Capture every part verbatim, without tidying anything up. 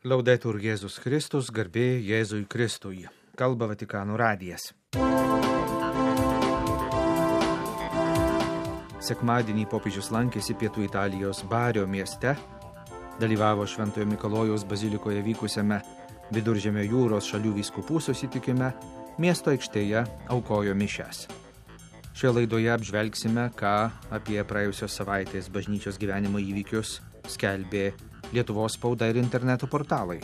Laudetur Jėzus Kristus, garbė Jėzui Kristui. Kalba Vatikano radijas. Sekmadienį popiežius lankėsi Pietų Italijos Bario mieste, dalyvavo Šventojo Mikalojaus bazilikoje vykusiame Viduržemio jūros šalių vyskupų susitikime, miesto aikštėje aukojo mišias. Šioje laidoje apžvelgsime, ką apie praėjusios savaitės bažnyčios gyvenimo įvykius skelbė Lietuvos spauda ir interneto portalai.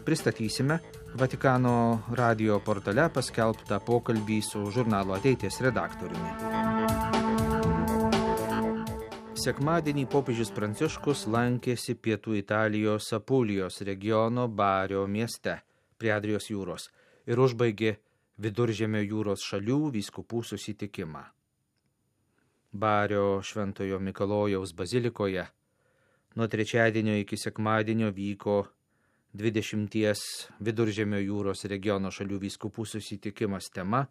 Pristatysime Vatikano radijo portale paskelbtą pokalbį su žurnalo Ateities redaktoriumi. Sekmadienį popiežius Pranciškus lankėsi Pietų Italijos Apulijos regiono Bario mieste prie Adrijos jūros ir užbaigė Viduržemio jūros šalių vyskupų susitikimą. Bario Šventojo Mikalojaus bazilikoje nuo trečiadienio iki sekmadienio vyko dvidešimties Viduržemio jūros regiono šalių vyskupų susitikimas tema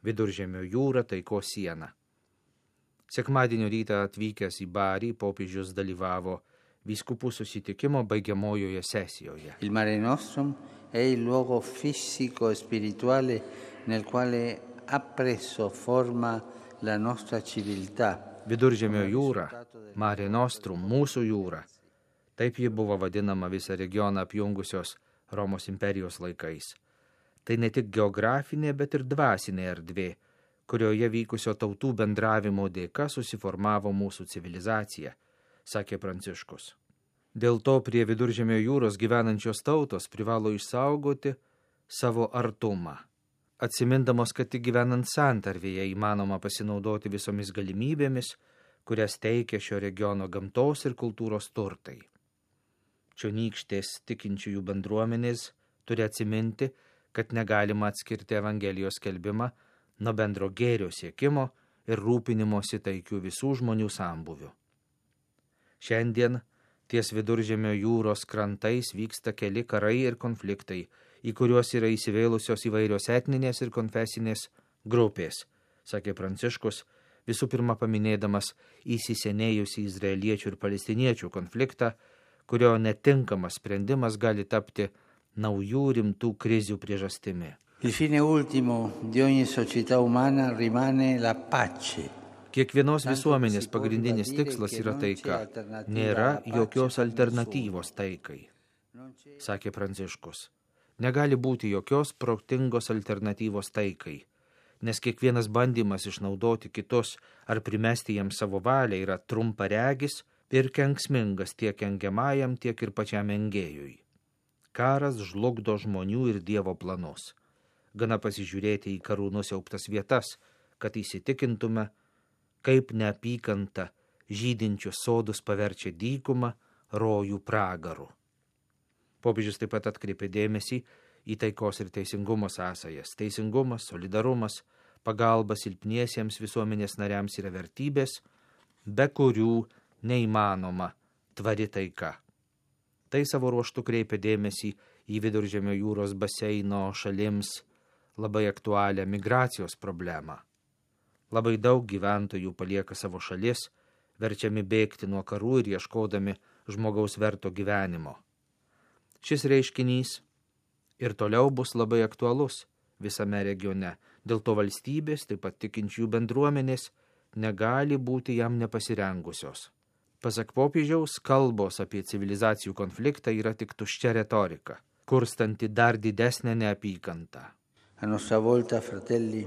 Viduržemio jūra taikos siena. Sekmadienio rytą atvykęs į Barį, popiežius dalyvavo vyskupų susitikimo baigiamojoje sesijoje. Il Mare Nostrum è il luogo fisico e spirituale nel quale ha preso forma la nostra civiltà. Viduržemio jūra, Mare Nostrum, mūsų jūra. Taip ji buvo vadinama visą regioną apjungusios Romos imperijos laikais. Tai ne tik geografinė, bet ir dvasinė erdvė, kurioje vykusio tautų bendravimo dėka susiformavo mūsų civilizacija, sakė Pranciškus. Dėl to prie Viduržemio jūros gyvenančios tautos privalo išsaugoti savo artumą, atsimindamos, kad tik gyvenant santarvėje įmanoma pasinaudoti visomis galimybėmis, kurias teikia šio regiono gamtos ir kultūros turtai. Čionykštės tikinčiųjų bendruomenės turi atsiminti, kad negalima atskirti Evangelijos skelbimą nuo bendro gėrio siekimo ir rūpinimosi taikių visų žmonių sambūvių. Šiandien ties Viduržemio jūros krantais vyksta keli karai ir konfliktai, į kuriuos yra įsivėlusios įvairios etninės ir konfesinės grupės, sakė Pranciškus, visų pirma paminėdamas įsisenėjusį izraeliečių ir palestiniečių konfliktą, kurio netinkamas sprendimas gali tapti naujų rimtų krizių priežastimi. Il fine ultimo di ogni società umana rimane la pace. Kiekvienos visuomenės pagrindinis tikslas yra taika. Nėra jokios alternatyvos taikai, sakė Pranciškus. Negali būti jokios protingos alternatyvos taikai, nes kiekvienas bandymas išnaudoti kitus ar primesti jiems savo valią yra trumparegis ir kenksmingas tiek engiamajam, tiek ir pačiam engėjui. Karas žlugdo žmonių ir Dievo planus. Gana pasižiūrėti į karų nusiaubtas vietas, kad įsitikintume, kaip neapykanta žydinčius sodus paverčia dykumą, rojų pragaru. Popiežius taip pat atkreipė dėmesį į taikos ir teisingumo sąsajas. Teisingumas, solidarumas, pagalba silpniesiems visuomenės nariams yra vertybės, be kurių neįmanoma tvari taika. Tai savo ruožtu kreipia dėmesį į Viduržemio jūros baseino šalims labai aktualią migracijos problemą. Labai daug gyventojų palieka savo šalis, verčiami bėgti nuo karų ir ieškodami žmogaus verto gyvenimo. Šis reiškinys ir toliau bus labai aktualus visame regione, dėl to valstybės, taip pat tikinčiųjų bendruomenės, negali būti jam nepasirengusios. Pasak popiežiaus, kalbos apie civilizacijų konfliktą yra tik tuščia retorika, kurstanti dar didesnę neapykantą. A nostra volta, fratelli,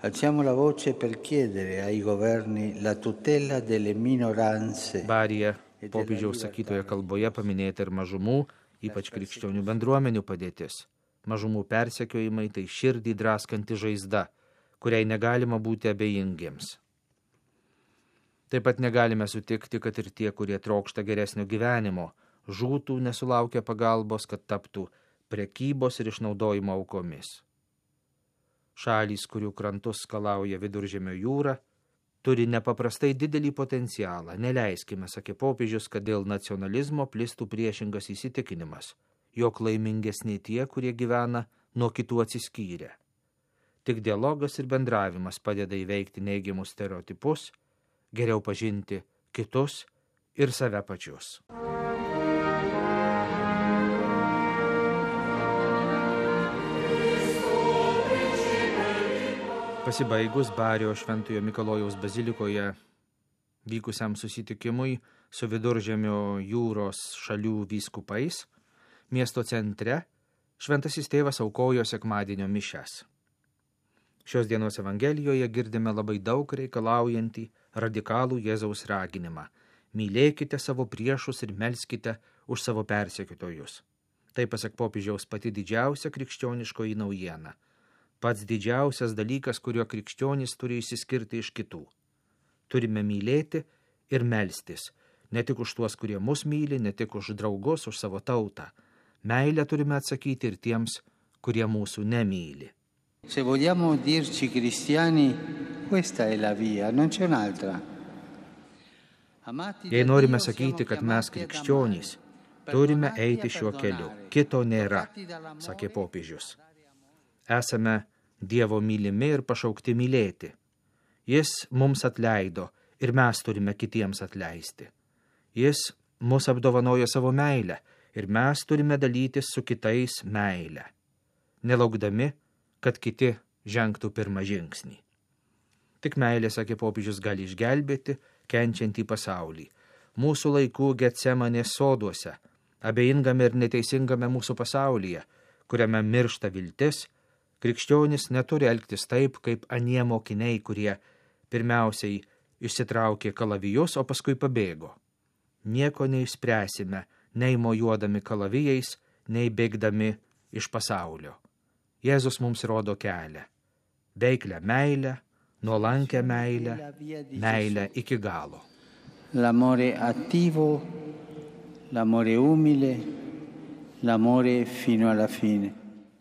alziamo la voce per chiedere ai governi la tutela delle minoranze. Baryje popiežiaus sakytoje kalboje paminėta ir mažumų, ypač krikščionių bendruomenių padėtis. Mažumų persekiojimai tai širdį draskanti žaizda, kuriai negalima būti abejingiems. Taip pat negalime sutikti, kad ir tie, kurie trokšta geresnio gyvenimo, žūtų nesulaukia pagalbos, kad taptų prekybos ir išnaudojimo aukomis. Šalys, kurių krantus skalauja Viduržemio jūra, turi nepaprastai didelį potencialą. Neleiskime, sakė popiežius, kad dėl nacionalizmo plistų priešingas įsitikinimas, jog laimingesni tie, kurie gyvena nuo kitų atsiskyrę. Tik dialogas ir bendravimas padeda įveikti neigiamus stereotipus, geriau pažinti kitus ir save pačius. Pasibaigus Bario Šventojo Mikalojaus bazilikoje vykusiam susitikimui su Viduržemio jūros šalių vyskupais, miesto centre Šventasis tėvas aukojo sekmadienio mišias. Šios dienos Evangelijoje girdime labai daug reikalaujantį radikalų Jėzaus raginimą. Mylėkite savo priešus ir melskite už savo persekiotojus. Tai, pasak popiežiaus, pati didžiausia krikščioniškoji naujiena. Pats didžiausias dalykas, kuriuo krikščionys turi išsiskirti iš kitų. Turime mylėti ir melstis, ne tik už tuos, kurie mus myli, ne tik už draugus, už savo tautą. Meilę turime atsakyti ir tiems, kurie mūsų nemyli. Se vogliamo dirci cristiani, questa è la via, non c'è un'altra. Jei norime sakyti, kad mes krikščionys, turime eiti šiuo keliu, kito nėra, sakė popiežius. Esame Dievo mylimi ir pašaukti mylėti. Jis mums atleido ir mes turime kitiems atleisti. Jis mus apdovanojo savo meilę ir mes turime dalytis su kitais meilę, nelaukdami, kad kiti žengtų pirmą žingsnį. Tik meilė, sakė popiežius, gali išgelbėti kenčiantį pasaulį. Mūsų laikų Getsemanės soduose, abejingame ir neteisingame mūsų pasaulyje, kuriame miršta viltis, krikščionis neturi elgtis taip, kaip anie mokiniai, kurie pirmiausiai išsitraukė kalavijus, o paskui pabėgo. Nieko neišspręsime, nei mojuodami kalavijais, nei bėgdami iš pasaulio. Jėzus mums rodo kelią. Veiklę meilę, nuolankę meilę, meilę iki galo. L'amore attivo, l'amore umile, l'amore fino alla fine.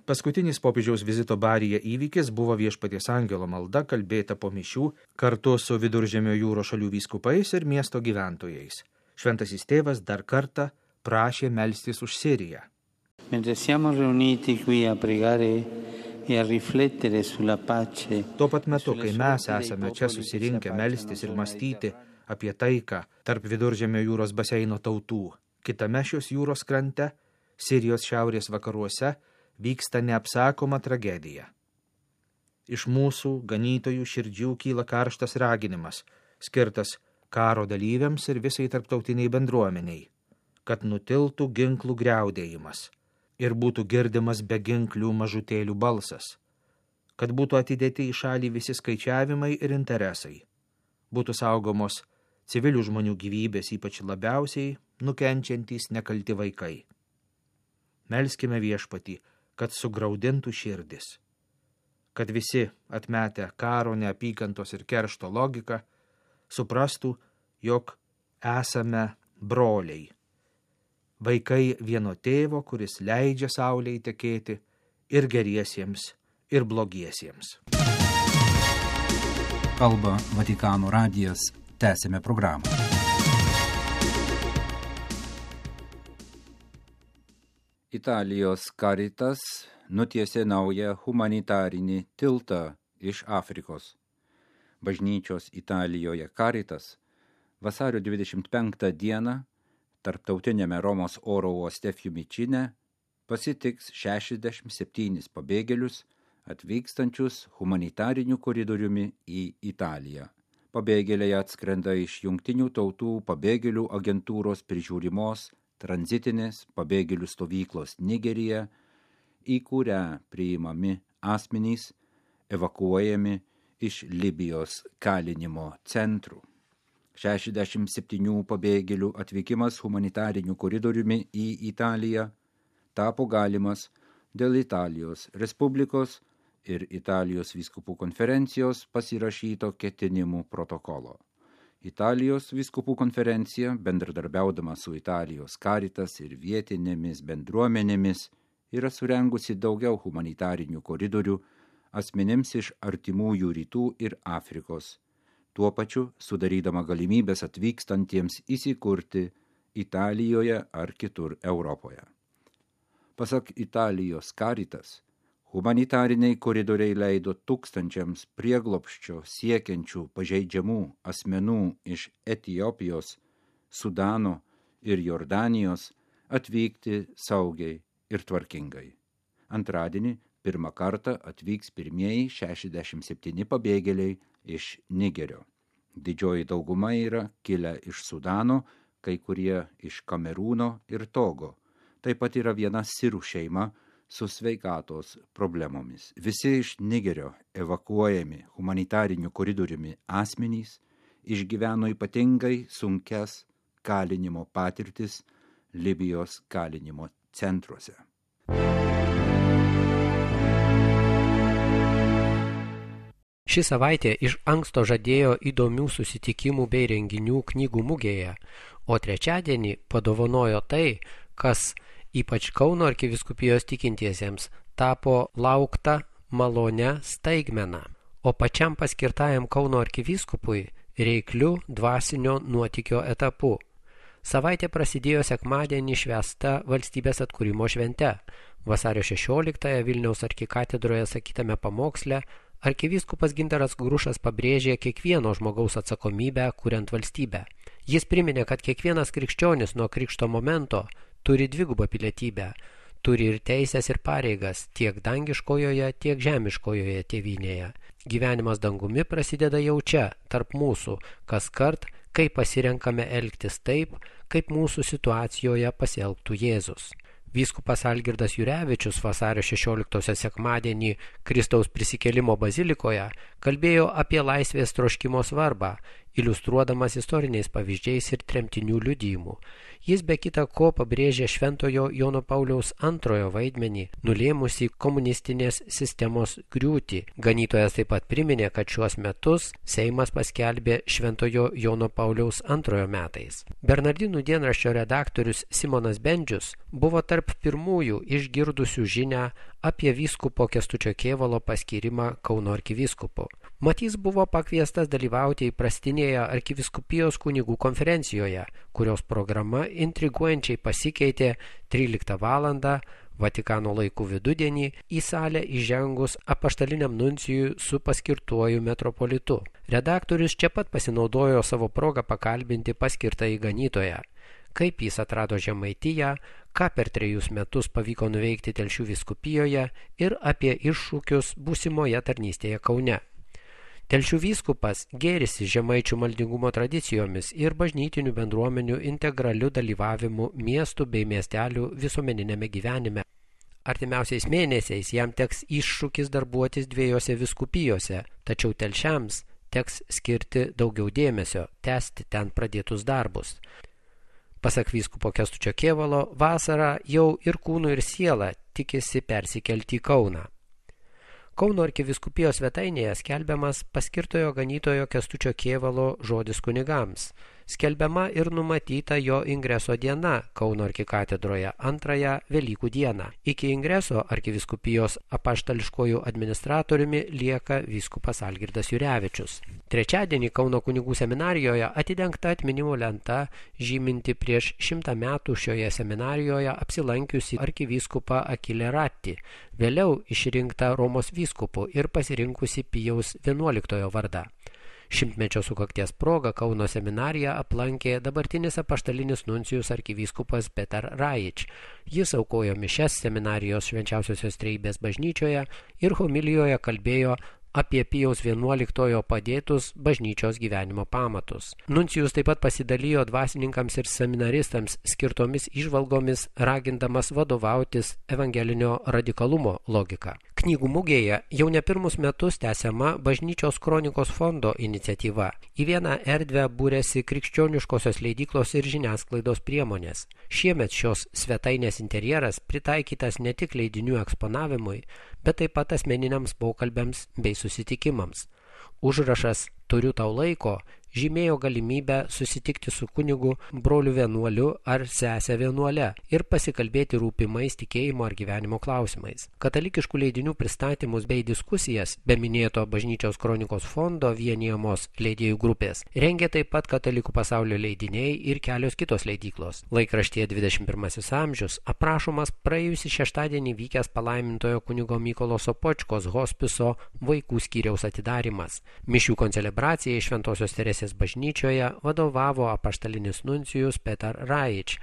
Paskutinis popiežiaus vizito Baryje įvykis buvo Viešpaties angelo malda, kalbėta po mišių kartu su Viduržemio jūros šalių vyskupais ir miesto gyventojais. Šventasis tėvas dar kartą prašė melstis už Siriją. Mentre siamo riuniti qui a pregare e a riflettere sulla pace. Tuo pat metu, kai mes esame čia susirinkę melstis ir mąstyti apie taiką tarp Viduržemio jūros baseino tautų, kitame šios jūros krante, Sirijos šiaurės vakaruose, vyksta neapsakoma tragedija. Iš mūsų ganytojų širdžių kyla karštas raginimas, skirtas karo dalyviams ir visai tarptautiniai bendruomeniai, kad nutiltų ginklų griaudėjimas ir būtų girdimas beginklių mažutėlių balsas, kad būtų atidėti į šalį visi skaičiavimai ir interesai, būtų saugomos civilių žmonių gyvybės, ypač labiausiai nukenčiantys nekalti vaikai. Melskime Viešpatį, kad sugraudintų širdis, kad visi atmetę karo, neapykantos ir keršto logiką suprastų, jog esame broliai, vaikai vieno tėvo, kuris leidžia saulei tekėti ir geriesiems, ir blogiesiems. Kalba Vatikano radijas, tęsime programą. Italijos Caritas nutiesė naują humanitarinį tiltą iš Afrikos. Bažnyčios Italijoje Caritas vasario dvidešimt penktą dieną tarptautiniame Romos oro uoste Fiumicine pasitiks šešiasdešimt septynis pabėgėlius atvykstančius humanitariniu koridoriumi į Italiją. Pabėgėliai atskrenda iš Jungtinių tautų pabėgėlių agentūros prižiūrimos tranzitinės pabėgėlių stovyklos Nigerija, į kurią priimami asmenys evakuojami iš Libijos kalinimo centrų. šešiasdešimt septynių pabėgėlių atvykimas humanitariniu koridoriumi į Italiją tapo galimas dėl Italijos Respublikos ir Italijos vyskupų konferencijos pasirašyto ketinimų protokolo. Italijos vyskupų konferencija, bendradarbiaudama su Italijos Caritas ir vietinėmis bendruomenėmis, yra surengusi daugiau humanitarinių koridorių asmenims iš artimųjų rytų ir Afrikos, tuo pačiu sudarydama galimybės atvykstantiems įsikurti Italijoje ar kitur Europoje. Pasak Italijos Caritas, humanitariniai koridoriai leido tūkstančiams prieglobsčio siekiančių pažeidžiamų asmenų iš Etiopijos, Sudano ir Jordanijos atvykti saugiai ir tvarkingai. Antradienį pirmą kartą atvyks pirmieji šešiasdešimt septyni pabėgėliai iš Nigerio. Didžioji dauguma yra kilę iš Sudano, kai kurie iš Kamerūno ir Togo. Taip pat yra viena sirų šeima su sveikatos problemomis. Visi iš Nigerio evakuojami humanitariniu koridoriumi asmenys išgyveno ypatingai sunkias kalinimo patirtis Libijos kalinimo centruose. Ši savaitė iš anksto žadėjo įdomių susitikimų bei renginių knygų mugėje, o trečiadienį padovanojo tai, kas ypač Kauno arkivyskupijos tikintiesiems tapo laukta malonia staigmena, o pačiam paskirtajam Kauno arkivyskupui reikliu dvasinio nuotykio etapu. Savaitė prasidėjo sekmadienį švęsta valstybės atkūrimo švente. Vasario šešioliktąją Vilniaus arkikatedroje sakytame pamoksle arkivyskupas Gintaras Grušas pabrėžė kiekvieno žmogaus atsakomybę kuriant valstybę. Jis priminė, kad kiekvienas krikščionis nuo krikšto momento turi dvigubą pilietybę, turi ir teisės ir pareigas tiek dangiškojoje, tiek žemiškojoje tėvynėje. Gyvenimas dangumi prasideda jau čia, tarp mūsų, kaskart, kai pasirenkame elgtis taip, kaip mūsų situacijoje pasielgtų Jėzus. Vyskupas Algirdas Jurevičius vasario šešioliktosios sekmadienį Kristaus prisikėlimo bazilikoje kalbėjo apie laisvės troškimo svarbą, iliustruodamas istoriniais pavyzdžiais ir tremtinių liudijimų. Jis be kita ko pabrėžė šventojo Jono Pauliaus antrojo vaidmenį, nulėmusį komunistinės sistemos griūtį. Ganytojas taip pat priminė, kad šiuos metus Seimas paskelbė šventojo Jono Pauliaus antrojo metais. Bernardinų dienraščio redaktorius Simonas Bendžius buvo tarp pirmųjų išgirdusių žinią apie vyskupo Kęstučio Kėvalo paskyrimą Kauno arkivyskupu. Mat jis buvo pakviestas dalyvauti įprastinėje arkivyskupijos kunigų konferencijoje, kurios programa intriguojančiai pasikeitė tryliktą valandą Vatikano laikų vidudienį į salę įžengus apaštaliniam nuncijui su paskirtuoju metropolitu. Redaktorius čia pat pasinaudojo savo progą pakalbinti paskirtąjį ganytoją, kaip jis atrado Žemaitiją, ką per trejus metus pavyko nuveikti Telšių vyskupijoje ir apie iššūkius būsimoje tarnystėje Kaune. Telšių vyskupas gėrisi žemaičių maldingumo tradicijomis ir bažnytinių bendruomenių integraliu dalyvavimu miestų bei miestelių visuomeninėme gyvenime. Artimiausiais mėnesiais jam teks iššūkis darbuotis dviejose vyskupijose, tačiau telšiams teks skirti daugiau dėmesio, tęsti ten pradėtus darbus. Pasak vyskupo Kęstučio Kėvalo, vasarą jau ir kūnu ir siela tikisi persikelti į Kauną. Kauno arkivyskupijos svetainėje skelbiamas paskirtojo ganytojo Kęstučio Kėvalo žodis kunigams. Skelbiama ir numatyta jo ingreso diena Kauno arkikatedroje antrąją Velykų dieną. Iki ingreso arkivyskupijos apaštališkojų administratoriumi lieka vyskupas Algirdas Jurevičius. Trečiadienį Kauno kunigų seminarijoje atidengta atminimo lenta žyminti prieš šimtą metų šioje seminarijoje apsilankiusi arkivyskupą Akilę Ratį, vėliau išrinktą Romos vyskupu ir pasirinkusi Pijaus vienuoliktojo vardą. Šimtmečio sukakties proga Kauno seminariją aplankė dabartinis apaštalinis nuncijus arkivyskupas Petar Raič. Jis aukojo mišias seminarijos švenčiausiosios trejybės bažnyčioje ir homilijoje kalbėjo apie Pijaus vienuoliktojo padėtus bažnyčios gyvenimo pamatus. Nuncijus taip pat pasidalijo dvasininkams ir seminaristams skirtomis įžvalgomis, ragindamas vadovautis evangelinio radikalumo logika. Knygų mugėje jau ne pirmus metus tęsiama Bažnyčios kronikos fondo iniciatyva. Į vieną erdvę būrėsi krikščioniškosios leidyklos ir žiniasklaidos priemonės. Šiemet šios svetainės interjeras pritaikytas ne tik leidinių eksponavimui, bet taip pat asmeniniams pokalbiams bei susitikimams. Užrašas "Turiu tau laiko" žymėjo galimybę susitikti su kunigu, broliu vienuoliu ar sese vienuole ir pasikalbėti rūpimais tikėjimo ar gyvenimo klausimais. Katalikiškų leidinių pristatymus bei diskusijas, be minėto Bažnyčios kronikos fondo vienijamos leidėjų grupės, rengė taip pat Katalikų pasaulio leidiniai ir kelios kitos leidyklos. Laikraštyje dvidešimt pirmasis amžius aprašomas praėjusį šeštadienį vykęs palaimintojo kunigo Mykolo Sopočkos hospiso vaikų skyriaus atidarymas. Mišių koncelebracijai Šventosios Teresės bažnyčioje vadovavo apaštalinis nuncijus Petar Raič.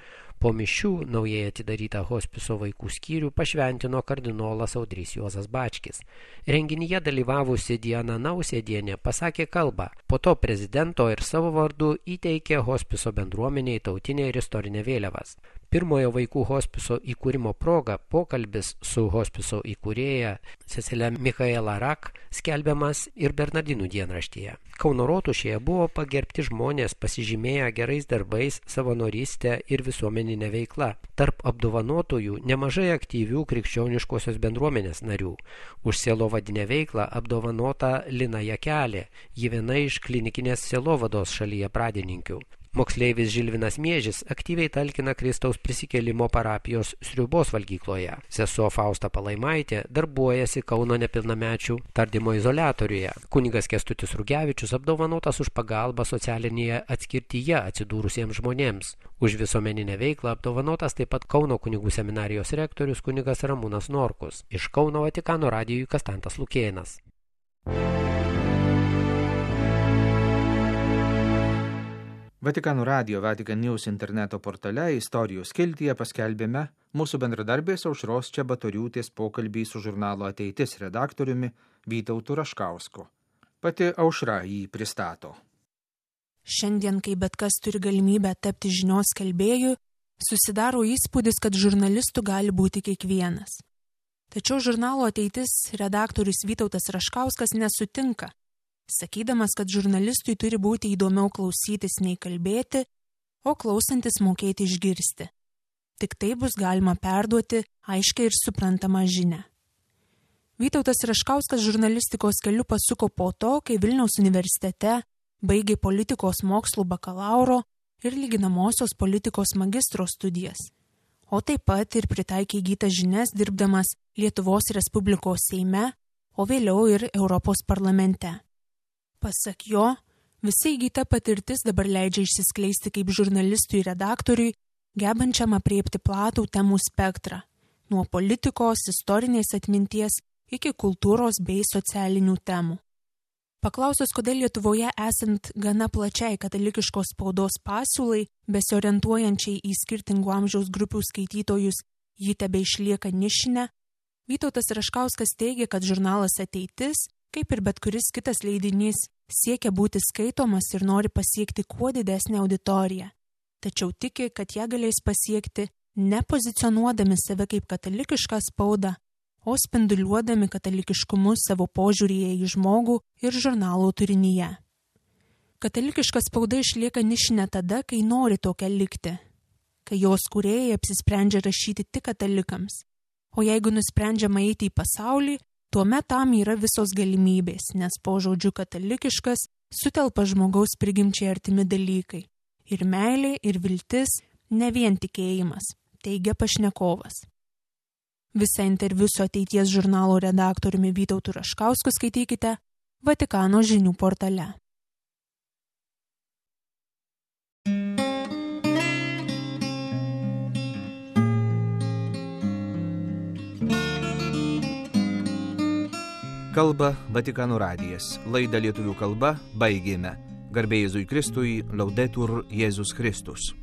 Po mišių naujai atidarytą hospiso vaikų skyrių pašventino kardinolas Audrys Juozas Bačkis. Renginyje dalyvavusi Diana Nausėdienė pasakė kalbą. Po to prezidento ir savo vardu įteikė hospiso bendruomeniai tautinę ir istorinę vėliavas. Pirmojo vaikų hospiso įkūrimo proga pokalbis su hospiso įkūrėja Cecilija Michaela Rak skelbiamas ir Bernardinų dienraštyje. Kauno rotušėje buvo pagerbti žmonės pasižymėję gerais darbais, savanorystę ir visuomeninę veiklą. Tarp apdovanotųjų nemažai aktyvių krikščioniškosios bendruomenės narių. Už sielovadinę veiklą apdovanota Lina Jakelė, ji viena iš klinikinės sielovados šalyje pradininkių. Moksleivis Žilvinas Miežis aktyviai talkina Kristaus prisikėlimo parapijos Sriubos valgykloje. Sesuo Fausta Palaimaitė darbuojasi Kauno nepilnamečių tardymo izoliatoriuje. Kunigas Kęstutis Rugevičius apdovanotas už pagalbą socialinėje atskirtyje atsidūrusiems žmonėms. Už visuomeninę veiklą apdovanotas taip pat Kauno kunigų seminarijos rektorius kunigas Ramūnas Norkus. Iš Kauno Vatikano radijui Kastantas Lukėnas. Vatikano radijo Vatican News interneto portale istorijų skiltyje paskelbėme mūsų bendradarbės Aušros Čebatoriūtės pokalbį su žurnalo Ateitis redaktoriumi Vytautu Raškausku. Pati Aušra jį pristato. Šiandien, kai bet kas turi galimybę tapti žinios skelbėju, susidaro įspūdis, kad žurnalistų gali būti kiekvienas. Tačiau žurnalo Ateitis redaktorius Vytautas Raškauskas nesutinka, sakydamas, kad žurnalistui turi būti įdomiau klausytis nei kalbėti, o klausantis mokėti išgirsti. Tik tai bus galima perduoti aiškiai ir suprantamą žinią. Vytautas Raškauskas žurnalistikos keliu pasuko po to, kai Vilniaus universitete baigė politikos mokslų bakalauro ir lyginamosios politikos magistro studijas, o taip pat ir pritaikė įgytas žinias dirbdamas Lietuvos Respublikos Seime, o vėliau ir Europos parlamente. Pasak jo, visa įgyta patirtis dabar leidžia išsiskleisti kaip žurnalistui ir redaktoriui, gebančiam apriepti platų temų spektrą, nuo politikos, istorinės atminties iki kultūros bei socialinių temų. Paklausus, kodėl Lietuvoje esant gana plačiai katalikiškos spaudos pasiūlai, besiorientuojančiai į skirtingų amžiaus grupių skaitytojus, ji tebeišlieka nišinė, Vytautas Raškauskas teigia, kad žurnalas Ateitis, kaip ir bet kuris kitas leidinys, siekia būti skaitomas ir nori pasiekti kuo didesnę auditoriją, tačiau tiki, kad ją galės pasiekti nepozicionuodami save kaip katalikišką spaudą, o spinduliuodami katalikiškumu savo požiūryje į žmogų ir žurnalo turinyje. Katalikiška spauda išlieka nišinė tada, kai nori tokia likti, kai jos kūrėjai apsisprendžia rašyti tik katalikams, o jeigu nusprendžiama eiti į pasaulį, tuomet tam yra visos galimybės, nes po žodžiu katalikiškas sutelpa žmogaus prigimčiai artimi dalykai. Ir meilė, ir viltis, ne vien tikėjimas, teigia pašnekovas. Visą interviu su Ateities žurnalo redaktoriumi Vytautu Raškausku skaitykite Vatikano žinių portale. Kalba Vatikano radijas. Laidą lietuvių kalba baigėme. Garbė Jėzui Kristui, Laudetur Jėzus Kristus.